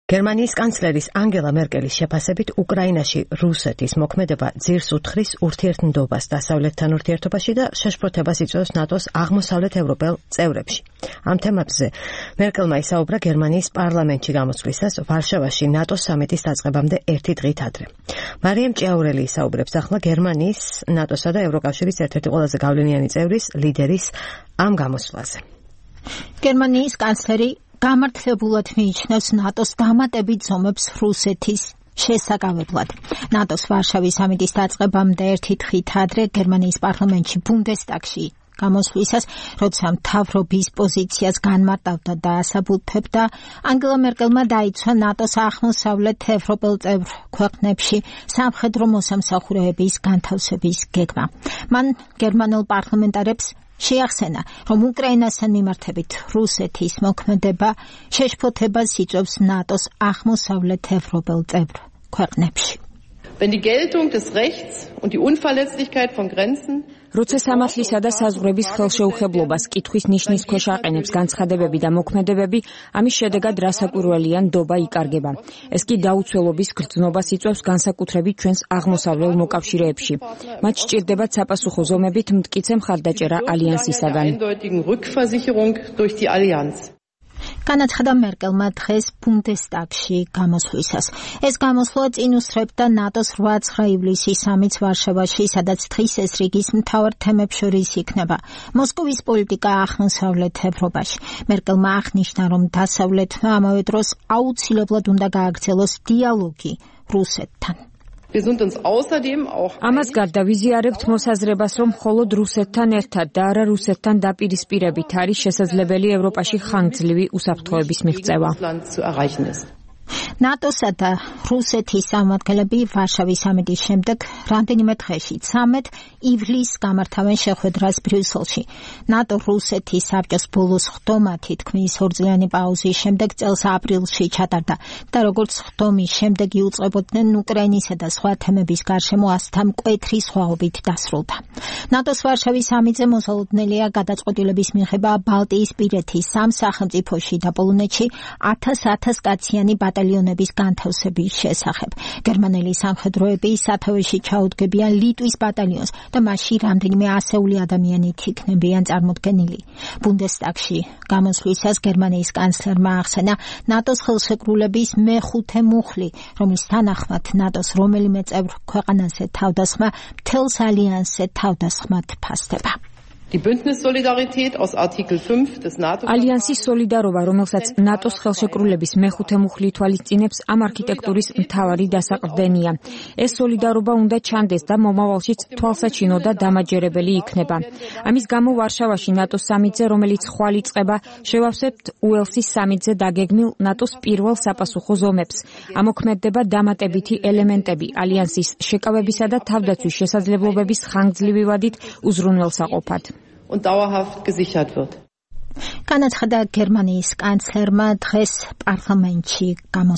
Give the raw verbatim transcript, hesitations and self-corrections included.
გერმანიის კანცლერის ანგელა მერკელის შეფასებით უკრაინაში რუსეთის მოქმედება ძირს უთხრის ურთიერთნდობას დასავლეთთან ურთიერთობაში და შეშფოთებას იწვევს ნატოს აღმოსავლეთ ევროპელ წევრებში. ამ თემებზე მერკელმა ისაუბრა გერმანიის პარლამენტში გამოსვლისას ვარშავაში ნატოს სამიტის დაწყებამდე ერთი დღით ადრე. მარიამ ჭიაურელი ისაუბრებს ახლა გერმანიის, ნატოსა და ევროკავშირის ერთ-ერთი ყველაზე გავლენიანი წევრის, ლიდერის ამ გამოსვლაზე. გერმანიის კანცლერი გამართლებულად მიიჩნევს ნატოს დამატებით ზომებს რუსეთის შესაკავებლად. ნატოს ვარშავის სამიტის დაწყებამდე ერთი დღით ადრე გერმანიის პარლამენტში ბუნდესტაგში გამოსვლისას, როცა მთავრობის პოზიციას განმარტავდა და ასაბუთებდა, ანგელა მერკელმა დაიცვა ნატოს აღმოსავლეთ ევროპელ წევრ ქვეყნებში სამხედრო მოსამსახურეების განთავსების გეგმა. მან გერმანელ პარლამენტარებს შეახსენა, რომ უკრაინასთან მიმართებით რუსეთის მოქმედება შეშფოთებას იწვევს ნატოს აღმოსავლეთ ევროპელ წევრ ქვეყნებში. Wenn die Geltung des Rechts und die Unverletzlichkeit von Grenzen როცა სამართლისა და საზღვრების ხელშეუხებლობას კითხვის ნიშნის ქვეშ აყენებს განცხადებები და მოქმედებები, ამის შედეგად რასაკვირველია ნდობა იკარგება. ეს კი დაუცველობის გრძნობას იწვევს განსაკუთრებით ჩვენს აღმოსავლელ მოკავშირეებში. მათ სჭირდებათ საპასუხო ზომებით მტკიცე მხარდაჭერა ალიანსისაგან. განაცხადა მერკელმა დღეს ბუნდესტაგში გამოსვლისას. ეს გამოსვლა წინ უსწრებდა ნატოს რვა ივლისის სამიტს ვარშავაში, სადაც დღის ეს რიგის მთავარ თემებს შორის იქნება მოსკოვის პოლიტიკა აღმოსავლეთ ევროპაში. მერკელმა აღნიშნა, რომ დასავლეთმა ამავე დროს აუცილებლად უნდა გააგრძელოს დიალოგი რუსეთთან. ამას გარდა ვიზიარებთ მოსაზრებას, რომ მხოლოდ რუსეთთან ერთად და არა რუსეთთან დაპირისპირებით არის შესაძლებელი ევროპაში ხანგრძლივი უსაფრთხოების მიღწევა. ნატოსა და რუსეთის წარმომადგენლები ვარშავის სამიტის შემდეგ რამდენიმე დღეში ცამეტ ივლისს გამართავენ შეხვედრას ბრიუსელში. ნატო რუსეთის საბჭოს ბოლოს ხდომა თითქმის ორწლიანი პაუზის შემდეგ წელს აპრილში ჩატარდა და როგორც ხდომის შემდეგ იუწყებოდნენ უკრაინისა და სხვა თემების გარშემო ასთა მკვეთრი სხვაობით დასრულდა. ნატოს ვარშავის სამიტზე მოსალოდნელია გადაწყვეტილების მიღება ბალტიისპირეთის სამ სახელმწიფოში და პოლონეთში ათას-ათას კაციანი ბატალიონების განთავსების შესახებ. გერმანელი სამხედროები სათავეში ჩაუდგებიან ლიტვის ბატალიონს და მასში რამდენიმე ასეული ადამიანით იქნებიან წარმოდგენილი. ბუნდესტაგში გამოსვლისას გერმანიის კანცლერმა ახსენა ნატოს ხელშეკრულების მეხუთე მუხლი, რომლის თანახმად ნატოს რომელიმე წევრ ქვეყანაზე თავდასხმა მთელს ალიანსზე თავდასხმად ფასდება. Die Bündnissolidarität aus Artikel fünf des NATO ალიანსის სოლიდარობა, რომელსაც ნატოს ხელშეკრულების მეხუთე მუხლი ითვალისწინებს, ამ არქიტექტურის მთავარი დასაყრდენია. ეს სოლიდარობა უნდა ჩანდეს და მომავალშიც თვალსაჩინო და დამაჯერებელი იქნება. ამის გამო ვარშავაში ნატოს სამიტზე, რომელიც ხვალ იწყება, შევავსებთ უელსის სამიტზე დაგეგმილ ნატოს პირველ sapasukho ზომებს. ამოქმედება დამატებითი ელემენტები ალიანსის შეკავებისა და თავდაცვის შესაძლებლობების ხანგრძლივი ვადით უზრუნველსაყოფად. und dauerhaft gesichert wird. განაცხადა გერმანიის კანცლერმა დღეს პარლამენტში